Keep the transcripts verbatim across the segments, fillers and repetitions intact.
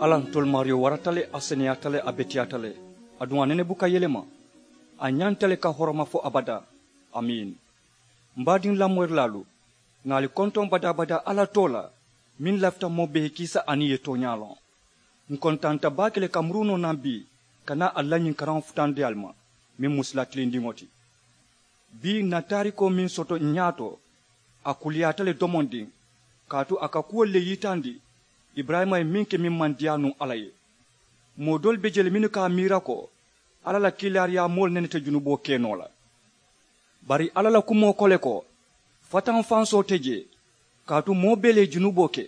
Alla ntolu maariyo warata le, a seneyaata le, a beteyaata le, aduŋ a nene buka yelema. A ñanta le ka horoma fo abadaa. Amiin. M baadiŋ lamoyirilaalu, ŋà ali kontoŋ badaa-badaa alla too la, meŋ lafita moo bee ye kiisa aniŋ ì ye tooñaa loŋ. Ǹ kontaanta baake le ka murunoo naŋ bii ka naa ali la ñiŋ karaŋo futandi ali ma, meŋ mu sila tilindiŋo ti. Bii ǹ na taarikoo meŋ soto ǹ ñaato, a kuliyaata le domondiŋ, kaatu a ka kuwolu le yitandi iburayima ye meŋ ke meŋ maŋ diyaa nuŋ alla ye. Moo doolu be je le mennu ka a miira ko alla la kiilaariyaa moolu nene te junuboo ke noo la. Bari alla la kumoo ko le ko, fataŋ-fansoo te jee, kaatu moo bee le ye junuboo ke,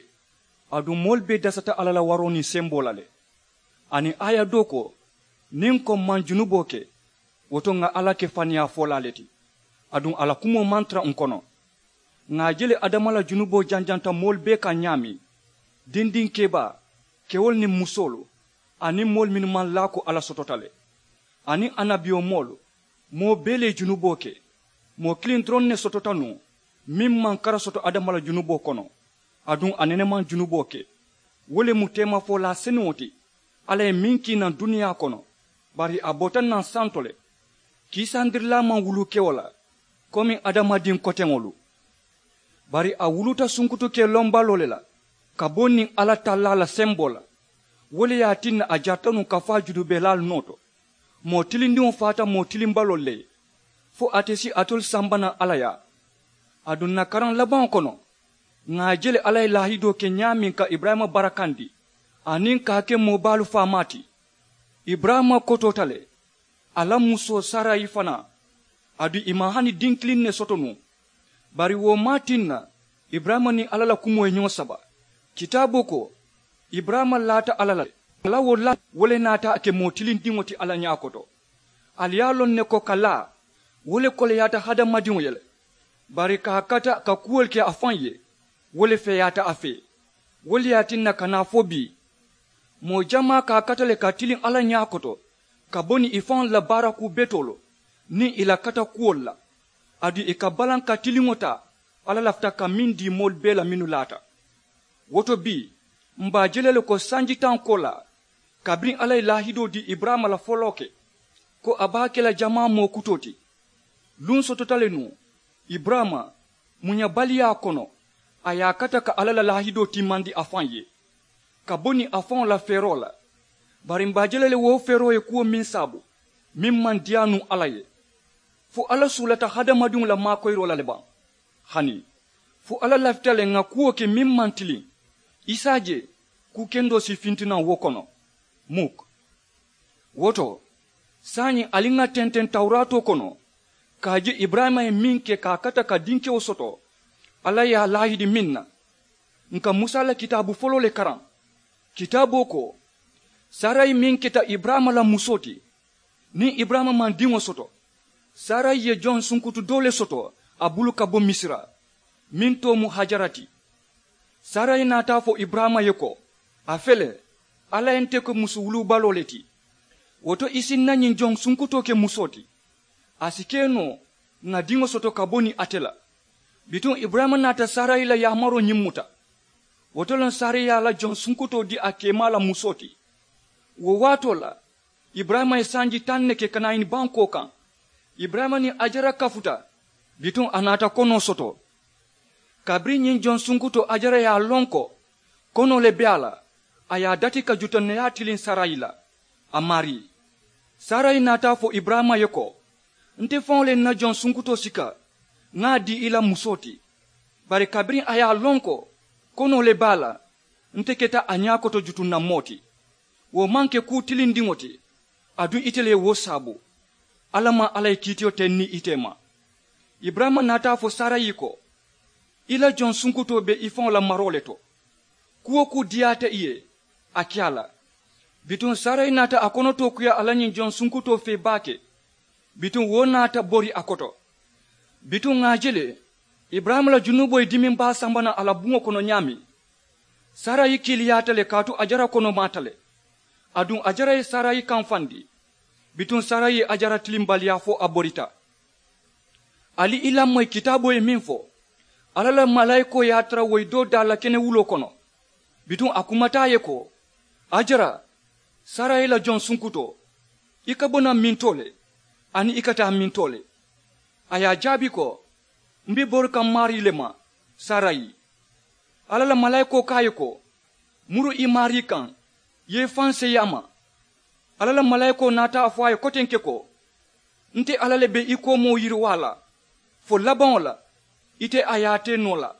aduŋ moolu bee dasata alla la waroo niŋ semboo la le. Aniŋ aaya doo ko, niŋ ko m maŋ junuboo ke, wo to ŋà alla ke faniyaa folaa le ti, aduŋ a la kumoo maŋ tara ǹ kono. Ŋà a je le adama la junuboo janjanta moolu bee kaŋ ñaameŋ, dindiŋ kebaa, kewolu niŋ musoolu, aniŋ moolu mennu maŋ laa ko alla sotota le, aniŋ annabiyomoolu, moo bee le ye junuboo ke. Moo kiliŋ doroŋ ne sotota nuŋ, meŋ maŋ kara soto adama la junuboo kono, aduŋ a nene maŋ junuboo ke. Wo le mu teemafolaa senuŋo ti alla ye meŋ kii naŋ duniyaa kono, bari a bota naŋ santo le, kiisandirilaa maŋ wuluu kewo la komi adamadiŋ koteŋolu. Bari a wuluuta sunkutu ke lombaloo le la, ka bo niŋ alla tallaa la semboo la. Wo le ye a tinna a jarita nuŋ ka faa junubelaalu noo to. Moo tilindiŋo faata moo tilimbaloolu le ye, fo ate si alitolu samba naŋ alla yaa. Aduŋ ǹ na karaŋ labaŋo kono, ŋà a je le alla ye laahidoo ke ñaameŋ ka iburayima barakandi, aniŋ ka a ke moo baalu faamaa ti. Iburayima kotoota le, a la musoo sarayi fanaa, aduŋ ì maŋ hani diŋ kiliŋ ne soto nuŋ. Bari wo maŋ a tinna iburayima niŋ alla la kumoo ye ñoo saba. Kitaaboo ko, iburayima laata alla la le, a la wo laa wo le naata a ke moo tilindiŋo ti alla ñaa koto. Ali ye a loŋ ne ko ka laa, wo le koleyaata hadamadiŋo ye le. Bari ka a kata ka kuwolu ke a faŋ ye, wo le feeyaata a fee. Wo le ye a tinna ka naa fo bii, moo jamaa ka a kata le ka tiliŋ alla ñaa koto, ka bo niŋ ì faŋolu la baarakuu betoolu niŋ ì la kata kuwolu la. Aduŋ ì ka balaŋ ka tiliŋo taa alla lafita ka meŋ dii moolu bee la mennu laata. Wo to bii, m̀ be a je la le ko sanji taŋ koolaa, kabiriŋ alla ye laahidoo dii iburayima la foloo ke, ko a be a ke la jamaa moo kutoo ti. Luŋ sotota le nuŋ, iburayima muñabaliyaa kono, a ye a kata ka alla la laahidoo timmandi a faŋ ye, ka bo niŋ a faŋo la feeroo la. Bari m̀ be a je la le wo feeroo ye kuwo meŋ saabu, meŋ maŋ diyaa nuŋ alla ye. Fo alla suulata hadamadiŋo la maakoyiroo la le baŋ? Hani fo alla lafita le ŋà kuwo ke meŋ maŋ tiliŋ? I si a je kuu kendoo si finti naŋ wo kono. Muk. Wo to, saayiŋ ali ŋà tenteŋ tawuraatoo kono, ka a je iburayima ye meŋ ke ka a kata ka dinkewo soto, alla ye a laahidi meŋ na. Ǹ ka musa la kitaabu foloo le karaŋ. Kitaaboo ko, sarayi meŋ keta iburayima la musoo ti, niŋ iburayima maŋ diŋo soto, sarayi ye joŋ sunkutu doo le soto a bulu ka bo misira, meŋ too mu hajara ti. Sarayi naata a fo iburayima ye ko, a fele, alla ye nte ke musu wuluubaloo le ti. Wo to i si ǹ na ñiŋ joŋ sunkutoo ke musoo ti. A si ke noo ŋà diŋo soto ka bo niŋ ate la. Bituŋ iburayima naata sarayi la yaamaroo ñiŋ muta. Wo to le sarayi ye a la joŋ sunkutoo dii a keemaa la musoo ti. Wo waatoo la, iburayima ye sanji taŋ ne ke kanaani bankoo kaŋ. Iburayima niŋ ajara kafuta, bituŋ a naata konoo soto. Kabiriŋ ñiŋ joŋ sunkutoo ajara ye a loŋ ko konoo le be a la, a ye a dati ka juta neyaa tiliŋ sarayi la, a maarii. Sarayi naata a fo iburayima ye ko, nte faŋo le ye ǹ na joŋ sunkutoo sika, ŋà a dii i la musoo ti. Bari kabiriŋ a ye a loŋ ko konoo le be a la, nte keta a ñaa koto jutunna moo ti. Wo maŋ ke kuu tilindiŋo ti, aduŋ ite le ye wo saabu. Alla maŋ alla ye kiitiyo teŋ niŋ ite ma. Iburayima naata a fo sarayi ko, i la joŋ sunkutoo be i faŋo la maroo le to. Kuu-wo-kuu diyaata i ye, a ke a la. Bituŋ sarayi naata a konotoo kuyaa a la ñiŋ joŋ sunkutoo fee baake. Bituŋ wo naata bori a koto. Bituŋ ŋà a je le, iburayima la junuboo ye dimiŋ baa samba naŋ a la buŋo kono ñaameŋ. Sarayi kiiliyaata le kaatu ajara konomaata le. Aduŋ ajara ye sarayi kamfandi. Bituŋ sarayi ye ajara tilimbaliyaa fo a borita. Ali i lamoyi kitaaboo ye meŋ fo, alla la malaayikoo ye a tara woyi doo daa la kenewuloo kono. Bituŋ a kumata a ye ko, Hajara, sarayi la joŋ sunkutoo, i ka bo naŋ mintoo le, aniŋ i ka taa mintoo le? A ye a jaabi ko, m be bori kaŋ maarii le ma, sarayi. Alla la malaayikoo ko a ye ko, muru i maarii kaŋ, i ye i faŋ seyi a ma. Alla la malaayikoo naata a fo a ye kotenke ko, nte alla le be i koomoo yiriwaa la, fo labaŋo la, ite a ye a tee noo la.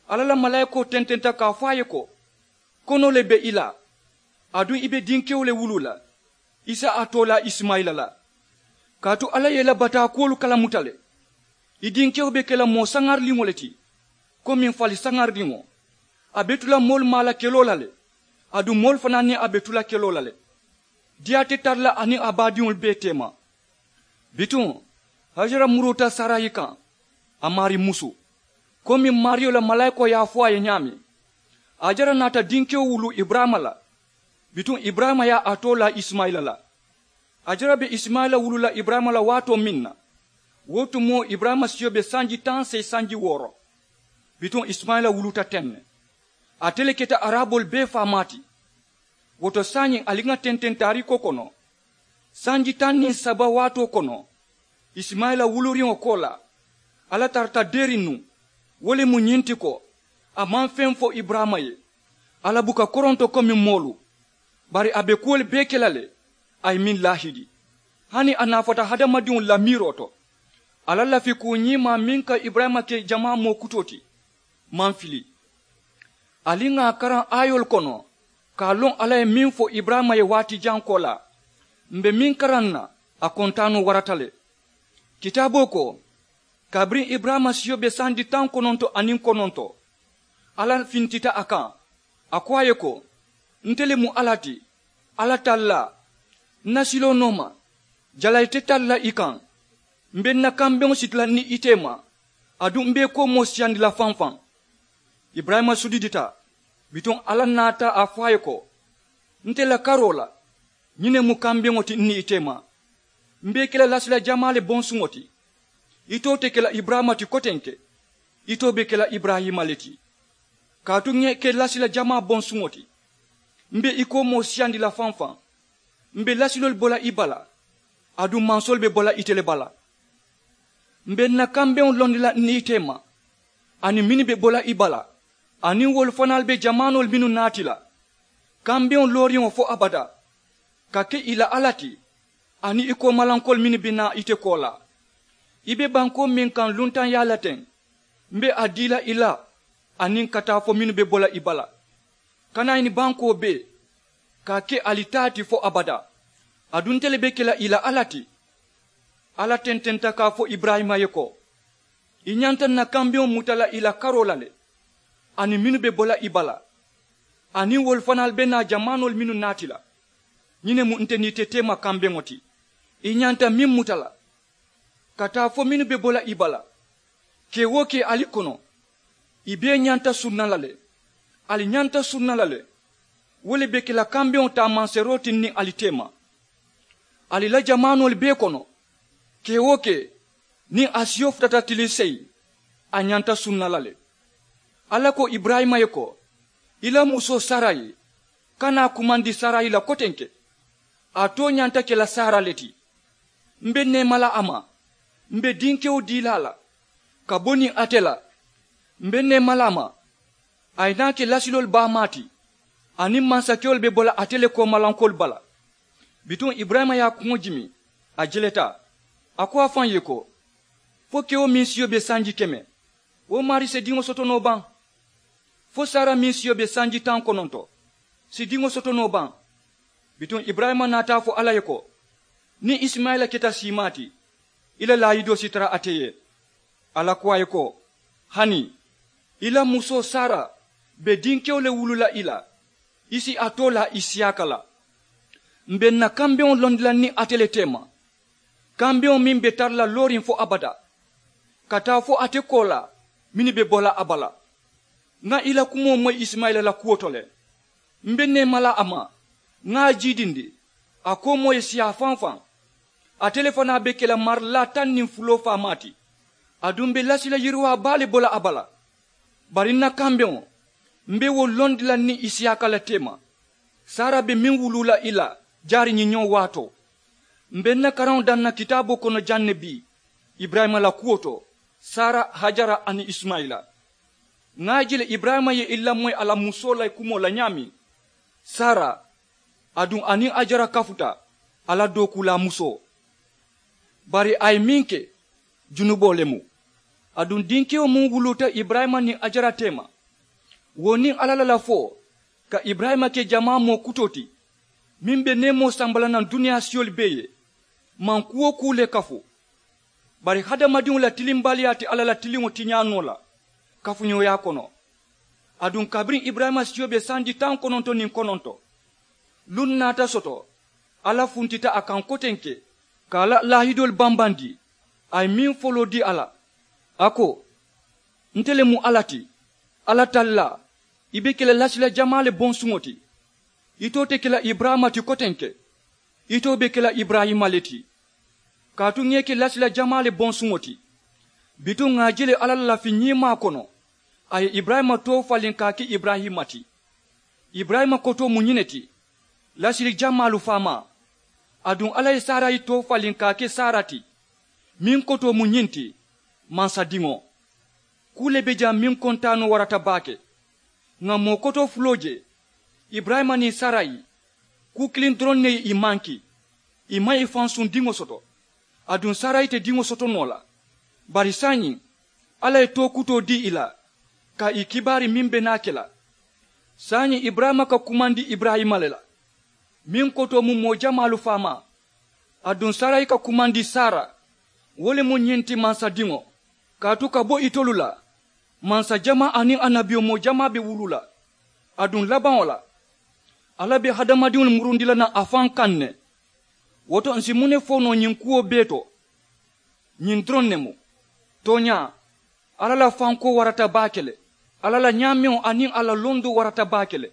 Alla la malaayikoo tententa ka a fo a ye ko, konoo le be i la, aduŋ i be dinkewo le wuluu la, i si a toolaa isimayila la. Kaatu alla ye i la bataa kuwolu kalamuta le. I dinkewo be ke la moo saŋariliŋo le ti, komiŋ fali saŋariliŋo. A be tu la moolu maa la keloo la le, aduŋ moolu fanaa niŋ a be tu la keloo la le. Diyaa te tara la a niŋ a baadiŋolu bee teema. Bituŋ, hajara muruuta sarayi kaŋ, a maarii musu, komiŋ maariyo la malaayikoo ye a fo a ye ñaameŋ. Hajara naata dinkewo wuluu iburayima la. Bituŋ iburayima ye a too laa isimayila la. Hajara be isimayila wuluu la iburayima la waatoo meŋ na, wo tumoo iburayima siyo be sanji taŋ seyi sanji wooro. Bituŋ isimayila wuluuta teŋ ne. Ate le keta araboolu bee faamaa ti. Wo to saayiŋ ali ŋa tententaariko kono, sanji taŋ niŋ saba waatoo kono, isimayila wuluuriŋo koolaa, alla tarata deeriŋ nuŋ. Wo le mu ñiŋ ti ko, a maŋ feŋ fo iburayima ye, a la buka koronto komi moolu. Bari a be kuwolu bee ke la le, a ye meŋ laahidi, hani a naafata hadamadiŋolu la miiroo to. Alla lafikuu ñiimaa meŋ ka iburayima ke jamaa moo kutoo ti, maŋ fili. Ali ŋà a karaŋ aayoolu kono, ka a loŋ alla ye meŋ fo iburayima ye waati jaŋ koolaa, m be meŋ karaŋ na, a kontaanoo warata le. Kitaaboo ko, kabiriŋ iburayima siyo be sanji taŋ kononto aniŋ kononto, alla fintita a kaŋ, a ko a ye ko, nte le mu alla ti, alla tallaa. N na siloo nooma, jalayi te tara la i kaŋ. M be n na kambeŋo siti la niŋ i teema, aduŋ m be i koomoo siyandi la faŋ faŋ. Iburayima sudidita. Bituŋ alla naata a fo a ye ko, nte la karoo la, ñiŋ ne mu kambeŋo ti n niŋ i teema. M be i ke la lasila jamaa le bonsuŋo ti. Itoo te ke la iburayima ti kotenke, itoo be ke la iburayima le ti. Kaatu ŋa i ke lasila jamaa bonsuŋo ti, m be i koomoo siyandi la faŋ faŋ. M be lasiloolu bo la i bala, aduŋ mansoolu be bo la ite le bala. M be n na kambeŋo londi la n niŋ i teema, aniŋ mennu be bo la i bala, aniŋ wolu fanaalu be jamaanoolu mennu naati la. Kambeŋo looriŋo fo abadaa ka ke i la alla ti, aniŋ i koomalankoolu mennu be naa ite koolaa. I be bankoo meŋ kaŋ luntaŋ yaa la teŋ, m be a dii la i la, aniŋ ka taa fo mennu be bo la i bala. Kana i ni bankoo bee, ka a ke ali taa ti fo abadaa. Aduŋ nte le be ke la i la alla ti. Alla tententa ka a fo iburayima ye ko, i ñanta n na kambeŋo muta la i la karoo la le, aniŋ mennu be bo la i bala, aniŋ wolu fanaalu be naa jamaanoolu mennu naati la. Ñiŋ ne mu nte niŋ ite teema kambeŋo ti. I ñanta meŋ muta la, ka taa fo mennu be bo la i bala, kee-wo-kee ali kono, i bee ñanta sunna la le. Ali ñanta sunna la le. Wo le be ke la kambeŋo taamanseeroo ti n niŋ ali teema. Ali la jamaanoolu bee kono, kee-wo-kee, niŋ a siyo futata tiliŋ seyi, a ñanta sunna la le. Alla ko iburayima ye ko, i la musoo sarayi, kana a kumandi sarayi la kotenke. A too ñanta ke la saara le ti. M be neema la a ma, m be dinkewo dii la a la, ka bo niŋ ate la. M be neema la a ma, a ye naa ke lasiloolu baamaa ti, aniŋ mansakewolu be bo la ate le koomalankoolu bala. Bituŋ iburayima ye a kuŋo jimi, a jeleta. A ko a faŋ ye ko, fo kewo meŋ siyo be sanji keme, wo maarii si diŋo soto noo baŋ? Fo saara meŋ siyo be sanji taŋ kononto, si diŋo soto noo baŋ? Bituŋ iburayima naata a fo alla ye ko, niŋ isimayila keta siimaa ti, i la laayidoo si tara ate ye. Alla ko a ye ko, hani, i la musoo saara be dinkewo le wuluu la i la, i si a too laa i siyaaka la. M be n na kambeŋo londi la niŋ ate le teema, kambeŋo meŋ be tara la looriŋ fo abadaa, ka taa fo ate koolaa mennu be bo la a bala. Ŋa i la kumoo moyi isimayila la kuwo to le. M be neema la a ma, ŋa a jiidindi, a koomoo ye siyaa faŋ faŋ. Ate le fanaa be ke la marilaa taŋ niŋ fuloo faamaa ti. Aduŋ m be lasila yiriwaa baa le bo la a bala. Bari n na kambeŋo, m be wo londi la niŋ isiyaaka la teema. Sara be meŋ wuluu la i la jaari ñiŋ ñoŋ waatoo. M be n na karaŋo daŋ na kitaaboo kono jaŋ ne bii iburayima la kuwo to, sara, hajara aniŋ isimayila. Ŋà a je le iburayima ye i lamoyi a la musoo la kumoo la ñaameŋ, sara, aduŋ a niŋ hajara kafuta a la dookuulaa musoo. Bari a ye meŋ ke, junuboo le mu. Aduŋ dinkewo muŋ wuluuta iburayima niŋ hajara teema, wo niŋ alla la lafoo ka iburayima ke jamaa moo kutoo ti, meŋ be neemoo samba la naŋ duniyaa siyolu bee ye, maŋ kuu-wo-kuu le kafu. Bari hadamadiŋo la tilimbaliyaa ti alla la tiliŋo tiñaa noo la kafuñooyaa kono. Aduŋ kabiriŋ iburayima siyo be sanji taŋ kononto niŋ kononto, luŋ naata soto alla funtita a kaŋ kotenke ka a la laahidoolu bambandi. A ye meŋ foloo dii a la, a ko, nte le mu alla ti, alla tallaa. I be ke la lasila jamaa le bonsuŋo ti. Itoo te ke la iburayima ti kotenke, itoo be ke la iburayima le ti. Kaatu ŋà i ke lasila jamaa le bonsuŋo ti. Bituŋ ŋà a je le alla la lafi ñiimaa kono, a ye iburayima too faliŋ ka a ke iburayima ti. Iburayima kotoo mu ñiŋ ne ti, lasili jamaalu faamaa. Aduŋ alla ye sarayi too faliŋ ka a ke sara ti, meŋ kotoo mu ñiŋ ti, mansadiŋo. Kuu le be jaŋ meŋ kontaanoo warata baake. Ŋà moo kotoo fuloo je, iburayima niŋ sarayi, kuu kiliŋ doroŋ ne ye ì manki. Ì maŋ ì faŋ suŋ diŋo soto. Aduŋ sarayi te diŋo soto noo la. Bari saayiŋ alla ye too kutoo dii ì la ka ì kibaari meŋ be naa ke la. Saayiŋ iburayima ka kumandi iburayima le la, meŋ kotoo mu moo jamaalu faamaa. Aduŋ sarayi ka kumandi sara, wo le mu ñiŋ ti mansadiŋo. Kaatu ka bo itolu la, mansa jamaa aniŋ annabiyomoo jamaa be wuluu la. Aduŋ labaŋo la, alla be hadamadiŋolu murundi la naŋ a faŋ kaŋ ne. Wo to ǹ si muŋ ne fo noo ñiŋ kuwo bee to? Ñiŋ doroŋ ne mu, tooñaa, alla la fankoo warata baake le. Alla la ñaameŋo aniŋ a la londoo warata baake le.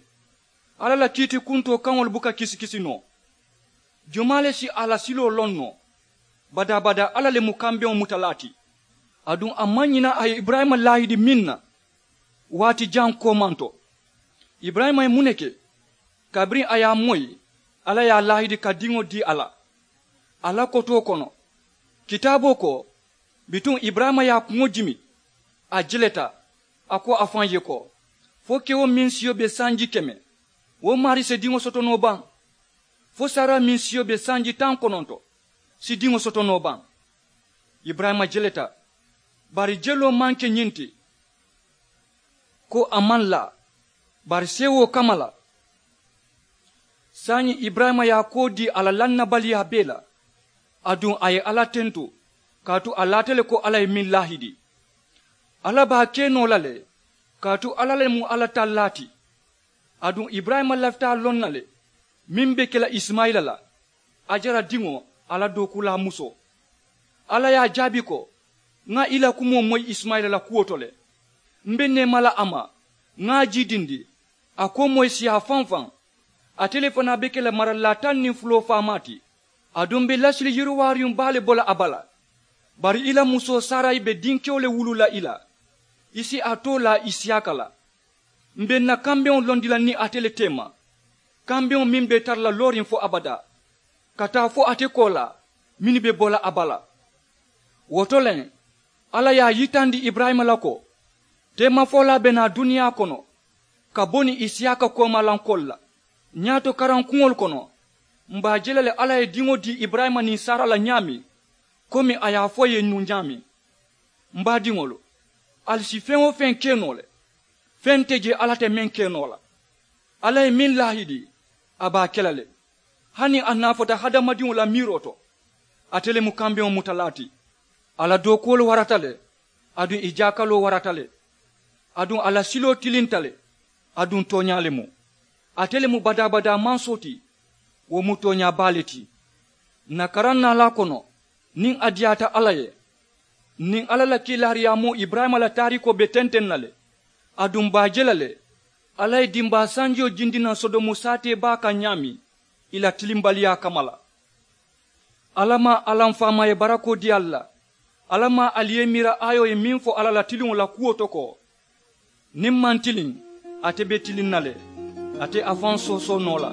Alla la kiiti kuntoo kaŋolu buka kisikisi noo. Jumaa le si a la siloo loŋ noo? Badaa-badaa alla le mu kambeŋo mutalaa ti. Aduŋ a maŋ ñina a ye iburayima laahidi meŋ na, waati jaŋ koomanto. Iburayima ye muŋ ne ke? Kabiriŋ a ye a moyi, alla ye a laahidi ka diŋo dii a la. A la kotoo kono, kitaaboo ko, bituŋ iburayima ye a kuŋo jimi, a jeleta, a ko a faŋ ye ko, fo kewo meŋ siyo be sanji keme, wo maarii si diŋo soto noo baŋ? Fo sara meŋ siyo be sanji taŋ kononto, si diŋo soto noo baŋ? Iburayima jeleta, bari jeloo maŋ ke ñiŋ ti, ko a maŋ laa, bari seewoo kamma la. Saayiŋ iburayima ye a koo dii a la lannabaliyaa bee la. Aduŋ a ye alla tentu, kaatu a laata le ko alla ye meŋ laahidi. Alla be a ke noo la le, kaatu alla le mu alla tallaa ti. Aduŋ iburayima lafita a loŋ na le, meŋ be ke la isimayila la, hajara diŋo, a la dookuulaa musoo. Alla ye a jaabi ko, ŋa i la kumoo moyi isimayila la kuwo to le. M be neema la a ma, ŋa a jiidindi, a koomoo ye siyaa faŋ-faŋ. Ate le fanaa be ke la maralilaa taŋ niŋ fuloo faamaa ti. Aduŋ m be lasili yiriwaariyuŋ baa le bo la a bala. Bari i la musoo sarayi be dinkewo le wuluu la i la. I si a too laa isiyaaka la. M be n na kambeŋo londi la niŋ ate le teema, kambeŋo meŋ be tara la looriŋ fo abadaa, ka taa fo ate koolaa mennu be bo la a bala. Wo to le, alla ye a yitandi iburayima la ko, teemafolaa be naa duniyaa kono, ka bo niŋ isiyaaka koomalankoolu la. Ñaato karankuŋolu kono, m be a je la le alla ye diŋo dii iburayima niŋ sara la ñaameŋ, komi a ye a fo ì ye nuŋ ñaameŋ. M baadiŋolu, ali si feŋ-wo-feŋ ke noo le. Feŋ te jee alla te meŋ ke noo la. Alla ye meŋ laahidi, a be a ke la le. Hani a naafata hadamadiŋo la miiroo to, ate le mu kambeŋo mutalaa ti. A la dookuwolu warata le, aduŋ ì jaakaloo warata le. Aduŋ a la siloo tilinta le, aduŋ tooñaa le mu. Ate le mu badaa-badaa mansoo ti. Wo mu tooñaa baa le ti. N na karaŋ naalaa kono, niŋ a diyaata alla ye, niŋ alla la kiilaariyaamoo iburayima la taariikoo be tenteŋ na le. Aduŋ m be a je la le, alla ye dimbaa sanjoo jindi naŋ sodomu saatee baa kaŋ ñaameŋ, ì la tilimbaliyaa kamma la. Alla maŋ alla m faamaa ye barakoo dii ali la. Alla maŋ ali ye miira aayoo ye meŋ fo alla la tiliŋo la kuwo to ko, niŋ m maŋ tiliŋ, ate be tiliŋ na le. Ate a faŋ soosoo noo la.